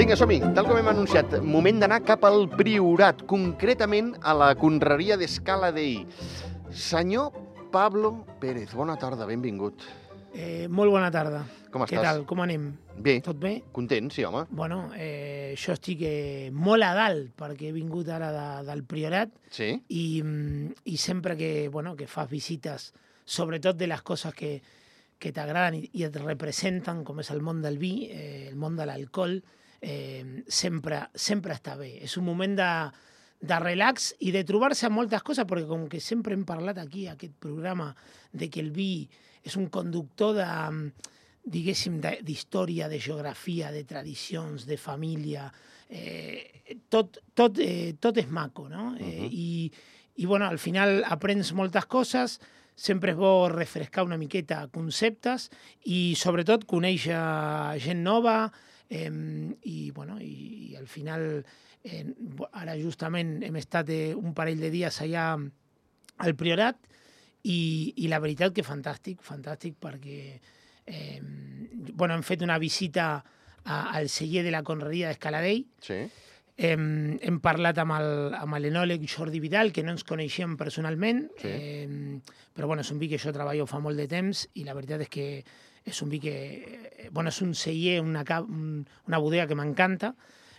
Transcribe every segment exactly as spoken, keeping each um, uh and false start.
Vinga, som-hi. Tal com hem anunciat, moment d'anar cap al Priorat, concretament a la Conreria d'Escala Dei. Senyor Pablo Pérez, bona tarda, benvingut. Eh, molt bona tarda. Com Què estàs? tal? Com anem? Bé. Tot bé? Content, sí, home. Bueno, eh, jo estic eh, molt a dalt, perquè he vingut ara de, del Priorat Sí? i, mm, i sempre que, bueno, que fas visites, sobretot de les coses que, que t'agraden i, i et representen, com és el món del vi, eh, el món de l'alcohol, eh, sempre, sempre està bé. És un moment de, de relax i de trobar-se amb moltes coses, perquè com que sempre hem parlat aquí, a aquest programa, de que el vi és un conductor de, diguéssim, d'història, de geografia, de tradicions, de família, eh, tot, tot, eh, tot és maco, no? Eh, Uh-huh. i, I, bueno, al final aprens moltes coses, sempre és bo refrescar una miqueta conceptes i, sobretot, conèixer gent nova eh, i, bueno, i, i al final, eh, ara justament hem estat eh, un parell de dies allà al Priorat i, i la veritat que fantàstic, fantàstic perquè eh, bueno, hem fet una visita a, al celler de la Conreria d'Escala Dei. Sí. Hem, hem parlat amb el, amb l'enòleg Jordi Vidal, que no ens coneixíem personalment, Sí. eh, però bueno, és un vi que jo treballo fa molt de temps i la veritat és que és un vi que... Eh, bueno, és un celler, una, ca- un, una bodega que m'encanta,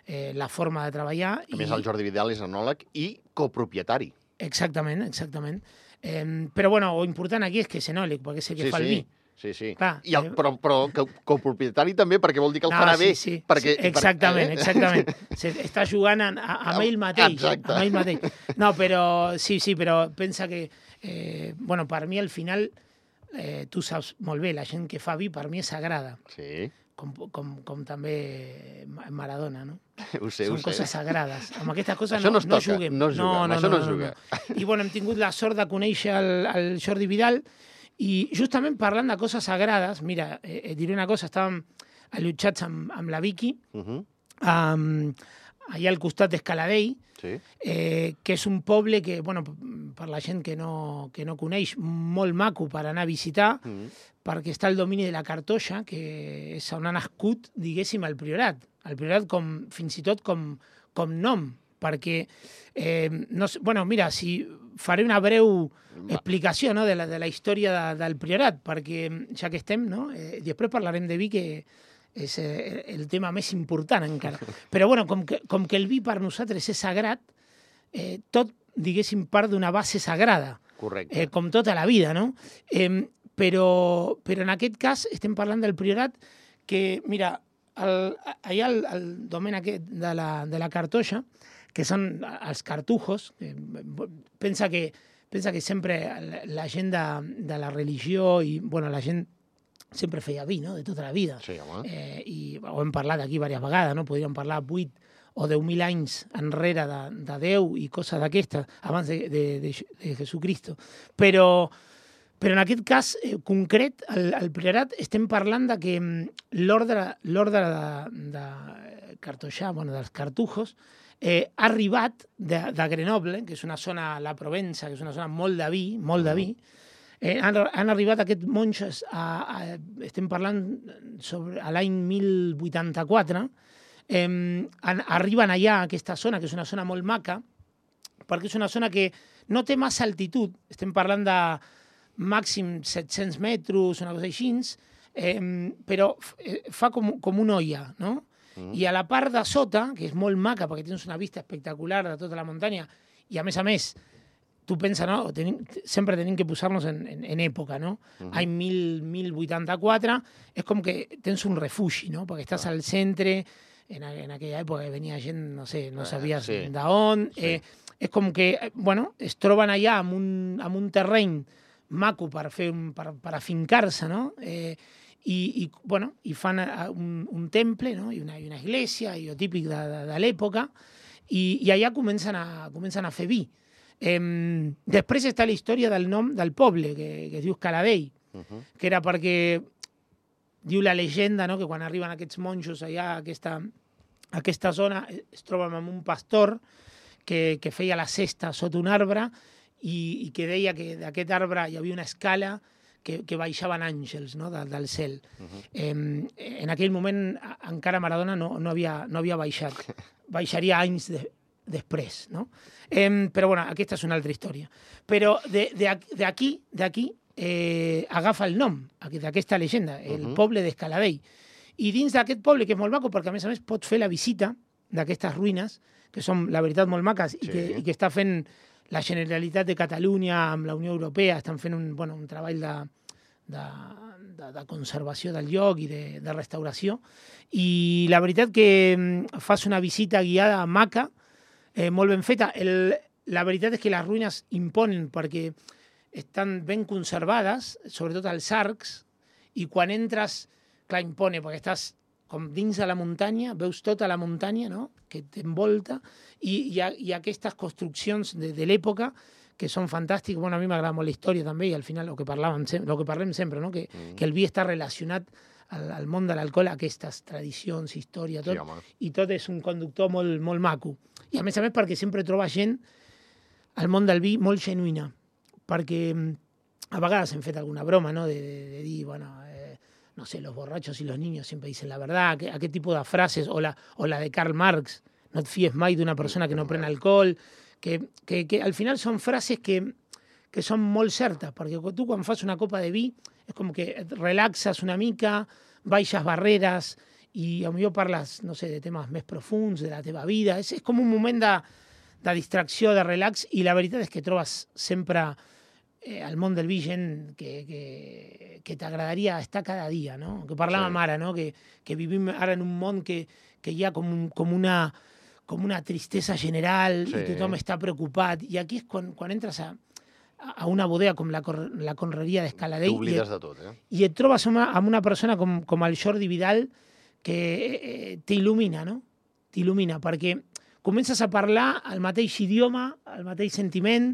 eh, la forma de treballar. A més, el Jordi Vidal és enòleg i copropietari. Exactament, exactament. Eh, però bueno, lo important aquí és que és enòleg, perquè sé que Sí, fa el sí. vi. Sí, sí. Clar, I el, eh, però, però co- copropietari també, perquè vol dir que el No, farà sí, bé. sí, perquè, sí, exactament, per, eh? exactament. Se, està jugant a, a, amb ell mateix. Exacte. Amb ell mateix. No, però sí, sí, però pensa que, eh, bueno, per mi al final, eh, tu saps molt bé, la gent que fa vi per mi és sagrada, Sí, com, com, com també Maradona, no? ho sé, Són ho sé. coses sagrades. Amb aquestes coses Això no, no es no toca, juguem. no es juga, amb això no es juga. I bueno, hem tingut la sort de conèixer el, el Jordi Vidal i justament parlant de coses sagrades, mira, eh, et diré una cosa, estàvem allotjats amb, amb la Vicky, Uh -huh. um, allà al costat d'Escala Dei, Sí. eh, que és un poble que, bueno, per la gent que no, que no coneix, molt maco per anar a visitar, Uh -huh. perquè està el domini de la Cartoixa, que és on ha nascut, diguéssim, el Priorat. El Priorat com, fins i tot com, com nom, perquè, eh, no sé, bueno, mira, si faré una breu explicació, no, de, la, de la història de, del Priorat, perquè ja que estem, no, eh, després parlarem de vi, que és eh, el tema més important encara. Però bueno, com que, com que el vi per nosaltres és sagrat, eh, tot, diguéssim, part d'una base sagrada, Correcte. eh, com tota la vida, no? Eh, però, però en aquest cas estem parlant del Priorat que, mira, el, allà el, el domen aquest de la, de la Cartoixa, que són els cartujos, eh, pensa que, pensa que sempre la, la gent de, de la religió i, bueno, la gent sempre feia vi, no?, de tota la vida. Sí, home. Eh, I ho hem parlat aquí diverses vegades, no? Podríem parlar vuit o deu mil anys enrere de, de Déu i coses d'aquestes, abans de, de, de, de Jesucristo. Però, però en aquest cas eh, concret, el, el Priorat, estem parlant de que mm, l'ordre l'ordre de, de cartoixà, bueno, dels cartujos, eh, ha arribat de, de Grenoble, que és una zona, la Provença, que és una zona molt de vi, molt de vi, eh, han, han arribat aquests monjos, a, a, estem parlant sobre a l'any mil vuitanta-quatre, eh, an, arriben allà a aquesta zona, que és una zona molt maca, perquè és una zona que no té massa altitud, estem parlant de màxim set-cents metres, una cosa així, eh, però fa com, com una olla, no? Mm. I a la part de sota, que és molt maca, perquè tens una vista espectacular de tota la muntanya, i a més a més, tu pensa, no? Tenim, sempre tenim que posar-nos en, en, en època, no? Mm. Any mil vuitanta-quatre, és com que tens un refugi, no? Perquè estàs ah. al centre, en, en aquella època venia gent, no sé, no sabies sí. d'on, sí. eh, és com que, bueno, es troben allà amb un, amb un terreny maco per, fer un, per, per afincar-se, no? Eh, i, i, bueno, i fan un, un temple, no? I una, i una església, i el típic de, de, de l'època, i, i allà comencen a, comencen a fer vi. Eh, després està la història del nom del poble, que, que es diu Escala Dei, uh-huh. que era perquè, diu la llegenda, no? Que quan arriben aquests monjos allà a aquesta, a aquesta zona, es troben amb un pastor que, que feia la cesta sota un arbre i, i que deia que d'aquest arbre hi havia una escala que, que baixaven àngels, no?, de, del cel. Uh -huh. eh, en aquell moment encara Maradona no, no, havia, no havia baixat. Baixaria anys de, després, no? Eh, però, bueno, aquesta és una altra història. Però d'aquí, d'aquí eh, agafa el nom d'aquesta llegenda, el uh -huh. poble d'Escaladei. I dins d'aquest poble, que és molt maco, perquè a més a més pots fer la visita d'aquestes ruïnes, que són, la veritat, molt maques, sí. i, que, i que està fent la Generalitat de Catalunya amb la Unió Europea, estan fent un, bueno, un treball de, de, de, de conservació del lloc i de, de restauració. I la veritat que fas una visita guiada maca, eh, molt ben feta. El, la veritat és que les ruïnes imponen perquè estan ben conservades, sobretot els arcs, i quan entres, clar, impone, perquè estàs com dins de la muntanya, veus tota la muntanya, no?, que t'envolta, i hi ha, hi ha aquestes construccions de, de l'època que són fantàstiques. Bueno, a mi m'agrada molt la història també, i al final el que, parlàvem, el que parlem sempre, no?, que, mm. que el vi està relacionat al, al món de l'alcohol, aquestes tradicions, història, tot, sí, i tot és un conductor molt, molt maco. I a més a més perquè sempre troba gent al món del vi molt genuïna, perquè a vegades hem fet alguna broma, no?, de, de, de dir, bueno, eh, no sé, los borrachos y los niños siempre dicen la verdad, que, aquest tipus de frases, o la, o la de Karl Marx, no et fies mai d'una persona que no pren alcohol, que, que, que al final són frases que, que són molt certes, perquè tu quan fas una copa de vi és com que et relaxes una mica, baixes barreres i potser parles, no sé, de temes més profuns, de la teva vida. És, és com un moment de, de distracció, de relax, i la veritat és que trobes sempre eh, al món del vi gent que, que, que t'agradaria estar cada dia, no? Que parlàvem sí. ara, no? Que, que vivim ara en un món que, que hi ha com, un, com una... com una tristesa general, sí. i tothom està preocupat. I aquí és quan, quan entres a, a una bodega com la, la Conreria d'Escaladei t'oblides de tot, eh? I et trobes amb una, amb una persona com, com el Jordi Vidal que eh, t'il·lumina, no? T'il·lumina, perquè comences a parlar el mateix idioma, el mateix sentiment,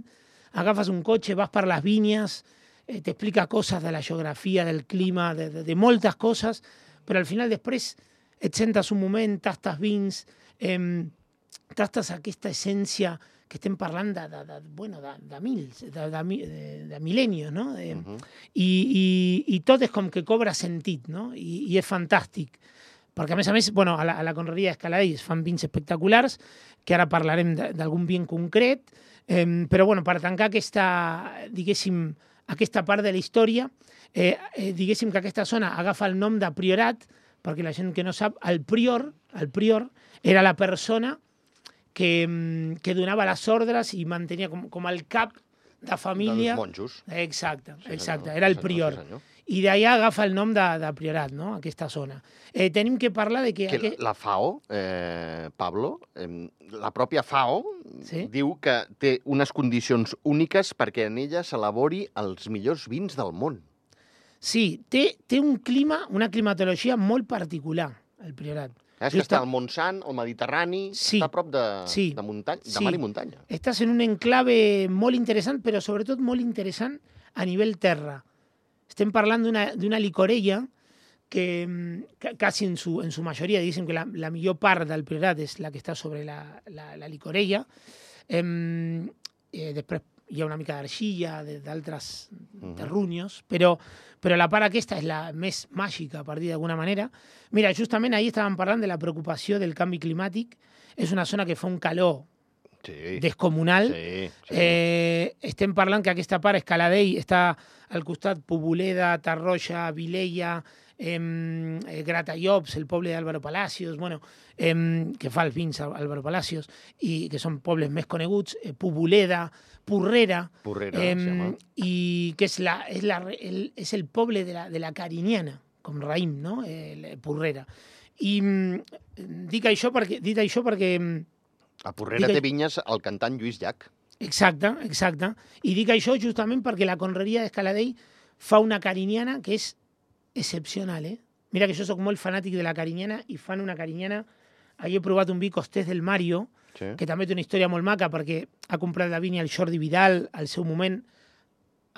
agafes un cotxe, vas per les vinyes, eh, t'explica coses de la geografia, del clima, de, de, de moltes coses, però al final després et sentes un moment, tastes vins, eh, tastes aquesta essència que estem parlant de, de, de, bueno, de, de mils, de, de, de, de mil·lennios, no? Eh, uh -huh. i, i, I tot és com que cobra sentit, no? I, i és fantàstic. Perquè, a més a més, bueno, a la, a la Conreria d'Escaladei es fan vins espectaculars, que ara parlarem d'algun vi en concret, eh, però, bueno, per tancar aquesta, diguéssim, aquesta part de la història, eh, eh, diguéssim que aquesta zona agafa el nom de Priorat, perquè la gent que no sap, el prior, el prior era la persona que, que donava les ordres i mantenia com, com el cap de família. Dels monjos. Exacte, sí, exacte, senyor. era el Sí, prior. senyor. I d'allà agafa el nom de, de Priorat, no?, aquesta zona. Eh, tenim que parlar de que... que aquest... La FAO, eh, Pablo, eh, la pròpia FAO sí? diu que té unes condicions úniques perquè en ella s'elabori els millors vins del món. Sí, té, té un clima, una climatologia molt particular, el Priorat. És que està al Montsant, al Mediterrani, sí, està a prop de, sí, de, muntany, de sí. mar i muntanya. Estàs en un enclave molt interessant, però sobretot molt interessant a nivell terra. Estem parlant d'una licorella que, que quasi en su, en su majoria, diguéssim que la, la millor part del Priorat és la que està sobre la, la, la licorella. Eh, eh, després hi ha una mica d'argilla, d'altres uh-huh. terrunyos, però, però la part aquesta és la més màgica, per dir d'alguna manera. Mira, justament ahir estàvem parlant de la preocupació del canvi climàtic. És una zona que fa un calor sí. descomunal. Sí, sí. Eh, estem parlant que aquesta part, Escaladei, està al costat Poboleda, Tarroja, Vilella, eh, Gratallops, el poble d'Álvaro Palacios, bueno, eh, que fa els vins Álvaro Palacios, i que són pobles més coneguts, eh, Poboleda, Porrera, Porrera eh, i que és, la, és, la, el, és el poble de la, de la Carinyana, com raïm, no? Eh, Porrera. I dic això perquè... Dit això perquè a Porrera dic, té vinyes el cantant Lluís Llach. Exacte, exacte. I dic això justament perquè la Conreria d'Escaladei fa una carinyana que és excepcional, eh? Mira que jo soc molt fanàtic de la carinyana i fan una carinyana... Ahir he provat un vi Costés del Mario, sí. que també té una història molt maca perquè ha comprat la vinya el Jordi Vidal al seu moment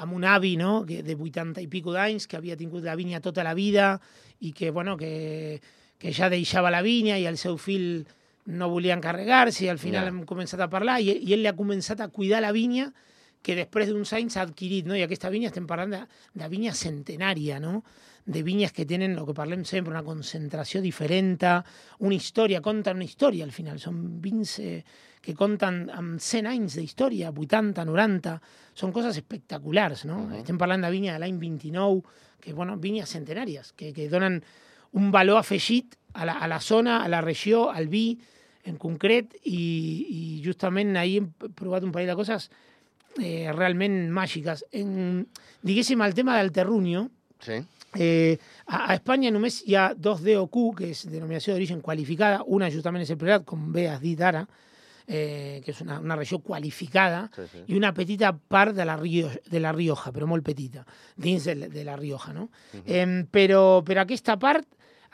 amb un avi, no?, que de vuitanta i pico d'anys, que havia tingut la vinya tota la vida i que, bueno, que, que ja deixava la vinya i el seu fill no volia encarregar-se i al final yeah. hem començat a parlar i, i ell li ha començat a cuidar la vinya que després d'uns anys s'ha adquirit, no? I aquesta vinya estem parlant de, de vinya centenària, no? De vinyes que tenen, el que parlem sempre, una concentració diferent, una història, conten una història al final. Són vins eh, que conten amb cent anys d'història, vuitanta, noranta, són coses espectaculars, no? Uh-huh. Estem parlant de vinya de l'any vint-i-nou, que, bueno, vinyes centenàries, que, que donen un valor afegit a la, a la zona, a la regió, al vi en concret, i, i justament ahir hem provat un parell de coses eh, realment màgiques. En, diguéssim, el tema del terruño, sí. Eh, a, a Espanya només hi ha dos D O Q, que és denominació d'origen qualificada, una justament és el Priorat, com bé has dit ara, eh, que és una, una regió qualificada, sí, sí. I una petita part de la, Rio, de la Rioja, però molt petita, dins de, de la Rioja, no? Uh-huh. eh, però, però aquesta part,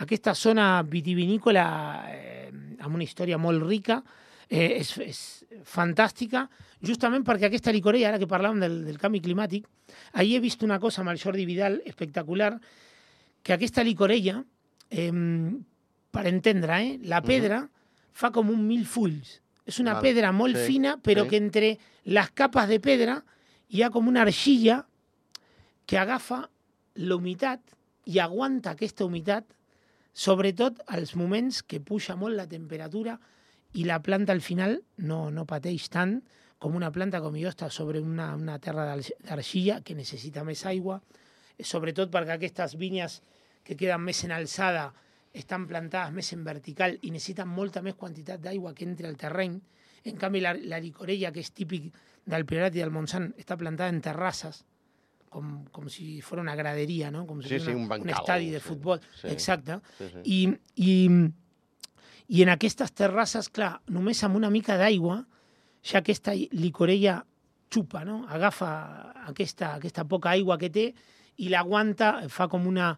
aquesta zona vitivinícola, eh, amb una història molt rica, eh, és, és fantàstica, justament perquè aquesta licorella, ara que parlàvem del, del canvi climàtic, ahir he vist una cosa amb el Jordi Vidal espectacular, que aquesta licorella, eh, per entendre, eh, la pedra uh-huh. fa com un mil fulls. És una Val. pedra molt sí. fina, però sí. que entre les capes de pedra hi ha com una argilla que agafa la humitat i aguanta aquesta humitat, sobretot als moments que puja molt la temperatura i la planta al final no, no pateix tant com una planta com jo està sobre una, una terra d'argilla que necessita més aigua, sobretot perquè aquestes vinyes que queden més en alçada estan plantades més en vertical i necessiten molta més quantitat d'aigua que entre al terreny. En canvi, la, la licorella, que és típic del Priorat i del Montsant, està plantada en terrasses, com, com si fos una graderia, no? Com si sí, fos sí, una, un bancal, un estadi de sí, futbol. Sí, exacte. Sí, sí. I, i, I en aquestes terrasses, clar, només amb una mica d'aigua, ja aquesta licorella xupa, no? Agafa aquesta, aquesta poca aigua que té i l'aguanta, fa com una...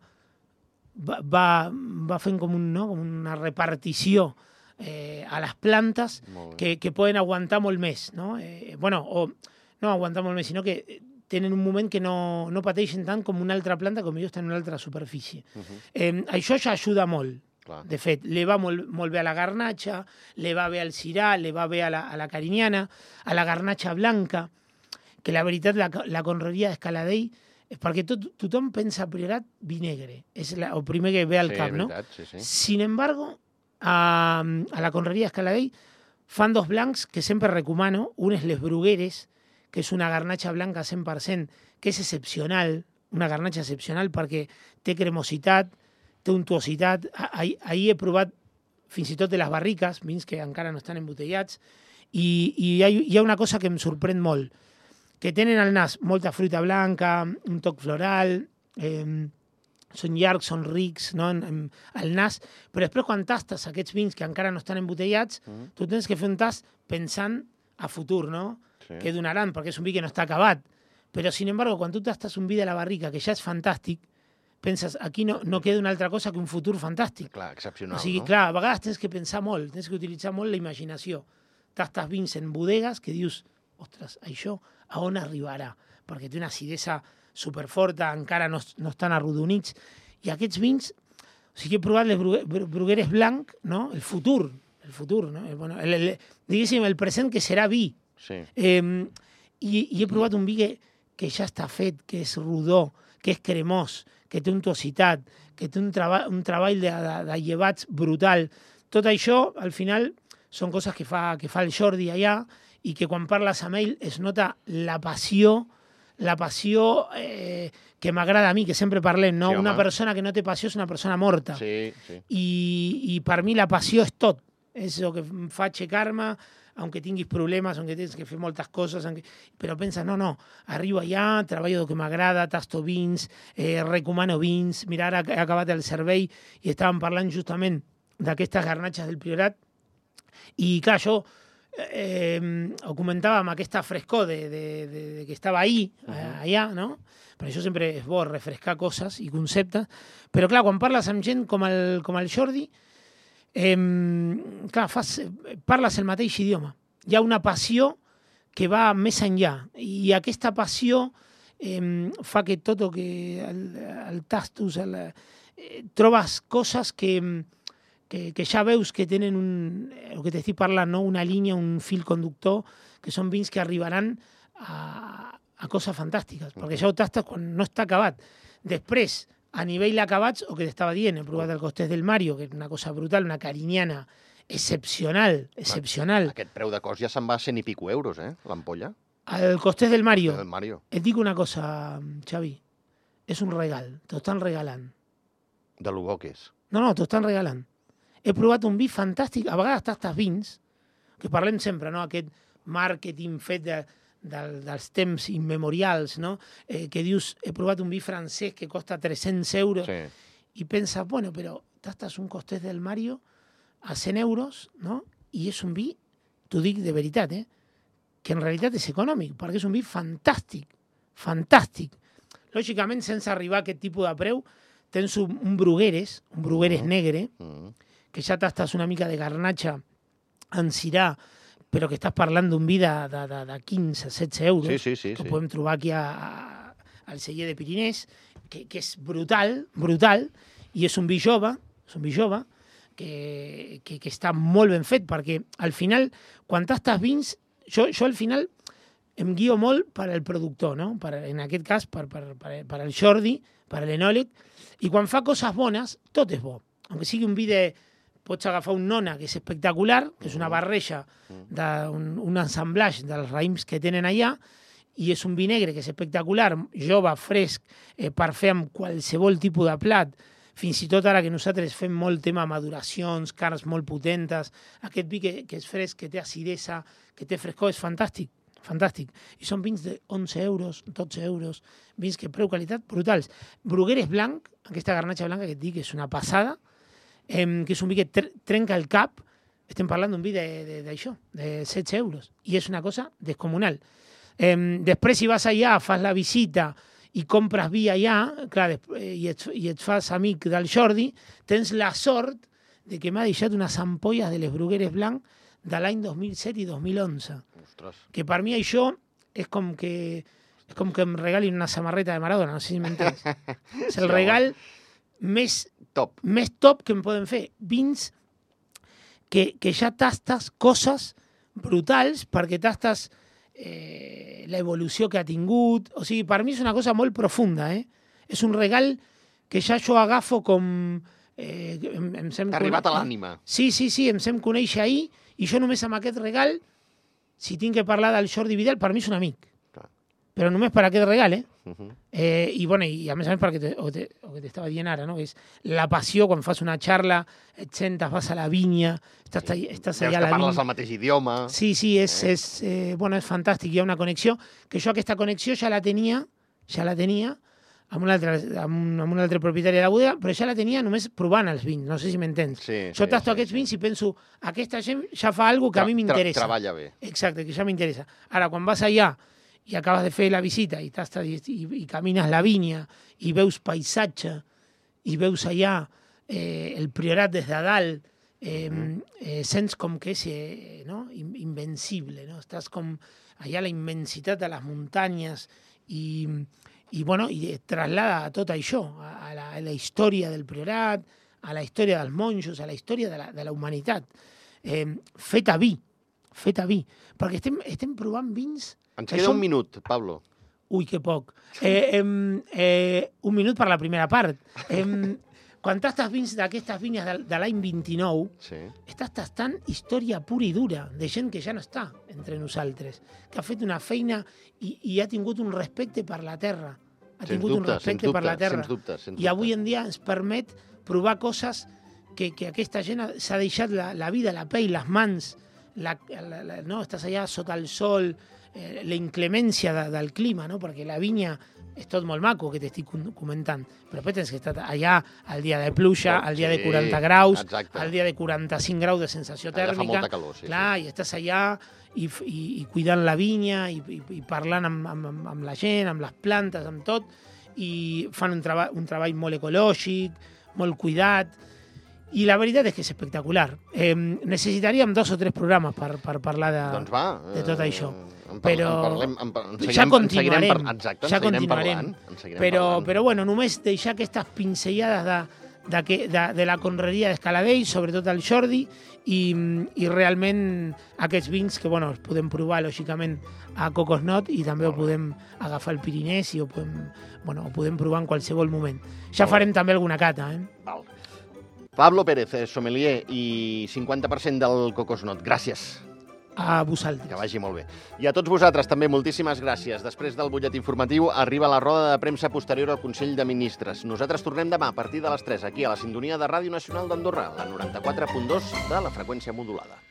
Va, va, va fent com, un, no? com una repartició eh, a les plantes que, que poden aguantar molt més, no? Eh, bueno, o no aguantar molt més, sinó que tenen un moment que no, no pateixen tant com una altra planta, com jo està en una altra superfície. Uh-huh. eh, això ja ajuda molt. Clar. De fet, li va molt, molt bé a la garnatxa, li va bé al cirà, li va bé a la, a la carinyana, a la garnatxa blanca, que la veritat, la, la conreria d'Escaladei, és perquè tot, tothom pensa a Priorat vi negre, és la, el primer que ve al sí, cap, no? Veritat, sí, sí. Sin embargo, a, a la conreria d'Escaladei fan dos blancs que sempre recomano. Un és les Brugueres, que és una garnatxa blanca cent per cent, que és excepcional, una garnatxa excepcional perquè té cremositat, té untuositat. Ahir, ahir he provat fins i tot de les barriques, vins que encara no estan embotellats, i, i hi, ha, hi ha una cosa que em sorprèn molt, que tenen al nas molta fruita blanca, un toc floral, eh, són llargs, són rics, no? en, en, al nas, però després quan tastes aquests vins que encara no estan embotellats, mm. tu tens que fer un tast pensant a futur, no? Sí. Què donaran, perquè és un vi que no està acabat. Però, sin embargo, quan tu tastes un vi de la barrica, que ja és fantàstic, penses, aquí no, no queda una altra cosa que un futur fantàstic. Clar, excepcional, o sigui, no? clar, a vegades tens que pensar molt, tens que utilitzar molt la imaginació. Tastes vins en bodegues que dius, ostres, això a on arribarà? Perquè té una acidesa superforta, encara no, no estan arrodonits. I aquests vins, o sigui, he provat les Brugueres blanc, no? El futur, el futur, no? El, bueno, el, el, diguéssim, el present que serà vi. Sí. Eh, i, I he provat un vi que, que ja està fet, que és rodó, que és cremós, que té untuositat, que té un, treba, un treball de, de, de llevats brutal. Tot això, al final, són coses que fa, que fa el Jordi allà, i que quan parles amb ell es nota la passió, la passió eh, que m'agrada a mi, que sempre parlem, no? Sí, una persona que no té passió és una persona morta. Sí, sí. I, I per mi la passió és tot. És el que em fa aixecar-me, aunque tinguis problemes, aunque tens que fer moltes coses, aunque... però penses, no, no, arribo allà, treballo del que m'agrada, tasto vins, eh, recomano vins. Mira, ara he acabat el servei i estàvem parlant justament d'aquestes garnatxes del Priorat, i clar, això Eh, ho comentava amb aquesta frescor de, de, de, de que estava ahí, uh -huh. allà, no? Per això sempre és bo refrescar coses i conceptes, però clar, quan parles amb gent com el, com el Jordi, eh, clar, fas, parles el mateix idioma. Hi ha una passió que va més enllà, i aquesta passió eh, fa que tot el que el, el tastus, el, eh, trobes coses que Que, que ja veus que tenen un, el que t'estic parlant, no? Una línia, un fil conductor, que són vins que arribaran a, a coses fantàstiques, perquè ja ho tastes quan no està acabat. Després, a nivell acabats, o que t'estava dient, he provat el costès del Mario, que és una cosa brutal, una carinyana excepcional, excepcional. Aquest preu de cost ja se'n va a cent i pico euros, eh, l'ampolla. El costés del Mario. El Mario. Et dic una cosa, Xavi, és un regal, t'ho estan regalant. De lo bo que és. No, no, t'ho estan regalant. He provat un vi fantàstic, a vegades tastes vins, que parlem sempre, no?, aquest màrqueting fet de, de, dels temps immemorials, no?, eh, que dius, he provat un vi francès que costa tres-cents euros, Sí. i penses, bueno, però tastes un costés del Mario a cent euros, no?, i és un vi, t'ho dic de veritat, eh?, que en realitat és econòmic, perquè és un vi fantàstic, fantàstic. Lògicament, sense arribar a aquest tipus de preu, tens un, un Brugueres, un Brugueres Mm. negre, Mm. que ja tastes una mica de garnatxa en cirà, però que estàs parlant d'un vi de, de, de, de quinze, setze euros, Sí, sí, sí. que sí. podem trobar aquí a, a, al celler de Pirinès, que, que és brutal, brutal, i és un vi jove, és un vi jove, que, que, que està molt ben fet, perquè al final, quan tastes vins, jo, jo al final em guio molt per al productor, no? Per, en aquest cas, per, per, per, per al Jordi, per a l'enòleg, i quan fa coses bones, tot és bo. Aunque sigui un vi de... Pots agafar un nona, que és espectacular, que és una barreja, d'un un assemblatge dels raïms que tenen allà, i és un vi negre que és espectacular, jove, fresc, eh, per fer amb qualsevol tipus de plat, fins i tot ara que nosaltres fem molt tema maduracions, carns molt potentes, aquest vi que, que és fresc, que té acidesa, que té frescor, és fantàstic, fantàstic. I són vins de onze euros, dotze euros, vins que preu-qualitat brutals. Brugueres blanc, aquesta garnatxa blanca que et dic, és una passada, eh, que és un vi que tre trenca el cap, estem parlant d'un vi d'això, de, de, de setze euros, i és una cosa descomunal. Eh, després, si vas allà, fas la visita i compres vi allà, clar, i, et, i et fas amic del Jordi, tens la sort de que m'ha deixat unes ampolles de les Brugueres blanc de l'any dos mil set i dos mil onze. Ostres. Que per mi això és com que, és com que em regalin una samarreta de Maradona, no sé si m'entens. És el regal més Top. més top que em poden fer. Vins que, que ja tastes coses brutals perquè tastes eh, l'evolució que ha tingut. O sigui, per mi és una cosa molt profunda, eh? És un regal que ja jo agafo com... Eh, em, em sem T'ha arribat a l'ànima. Sí, sí, sí, em sem conèixer ahir i jo només amb aquest regal, si tinc que parlar del Jordi Vidal, per mi és un amic. Clar. Però només per aquest regal, eh? Uh -huh. Eh, i, bueno, i a més a més perquè te, o, te, o que t'estava dient ara, no? És la passió quan fas una xarra, et sentes, vas a la vinya, estàs, sí. estàs allà a la parles vinya. el mateix idioma. Sí, sí, és, Eh? és, eh, bueno, és fantàstic, hi ha una connexió, que jo aquesta connexió ja la tenia, ja la tenia amb un altre, amb un, amb un altre propietari de la bodega, però ja la tenia només provant els vins, no sé si m'entens. Sí, jo sí, tasto sí, aquests sí. vins i penso, aquesta gent ja fa alguna que a mi m'interessa. Tra treballa bé. Exacte, que ja m'interessa. Ara, quan vas allà i acabes de fer la visita i, i, i, i camines la vinya i veus paisatge i veus allà eh, el priorat des de dalt, eh, mm. eh, sents com que és eh, no? invencible, no? Estàs com allà a la immensitat de les muntanyes i, i, bueno, i et traslada a tot això, a la, a la història del priorat, a la història dels monjos, a la història de la, de la humanitat. Eh, fet a vi, fet a vi. Perquè estem, estem provant vins... Ens queda som... un minut, Pablo. Ui, que poc. Eh, eh, eh, un minut per la primera part. Eh, quan tastes vins d'aquestes vinyes de, de l'any vint-i-nou, Sí. estàs tastant història pura i dura de gent que ja no està entre nosaltres, que ha fet una feina i, i ha tingut un respecte per la terra. Ha Sens tingut dubte, un respecte sens per la dubte, terra. sens dubte, sens I avui dubte. en dia ens permet provar coses que, que aquesta gent s'ha deixat la, la vida, la pell, les mans, la, la, la, no? Estàs allà sota el sol, eh, la inclemència de, del clima, no? Perquè la vinya és tot molt maco que t'estic comentant, però després tens que estar allà al dia de pluja, Oh, al dia sí, de quaranta graus, exacte. al dia de quaranta-cinc graus de sensació Allà fa tèrmica. molta calor, sí, Clar, sí. i estàs allà i, i, i cuidant la vinya i, i, i parlant amb, amb, amb la gent, amb les plantes, amb tot, i fan un, treba un treball molt ecològic, molt cuidat, i la veritat és que és espectacular. Eh, necessitaríem dos o tres programes per, per parlar de, Doncs va. de tot això. En, Però en parlem, en, en seguirem, ja en continuarem, seguirem par exacte, en ja seguirem continuarem. parlant. En seguirem Però, parlant. però bueno, només deixar aquestes pinzellades de, de, que, de, de la conreria d'Escaladell, sobretot el Jordi, i, i realment aquests vins que bueno, els podem provar, lògicament, a Cocosnot i també ho podem agafar al Pirinès i ho podem, bueno, ho podem provar en qualsevol moment. Ja farem també alguna cata. Eh? Val. Pablo Pérez, sommelier i cinquanta per cent del Cocosnot. Gràcies. A vosaltres. Que vagi molt bé. I a tots vosaltres també, moltíssimes gràcies. Després del butlletí informatiu arriba la roda de premsa posterior al Consell de Ministres. Nosaltres tornem demà a partir de les tres, aquí a la sintonia de Ràdio Nacional d'Andorra, la noranta-quatre punt dos de la freqüència modulada.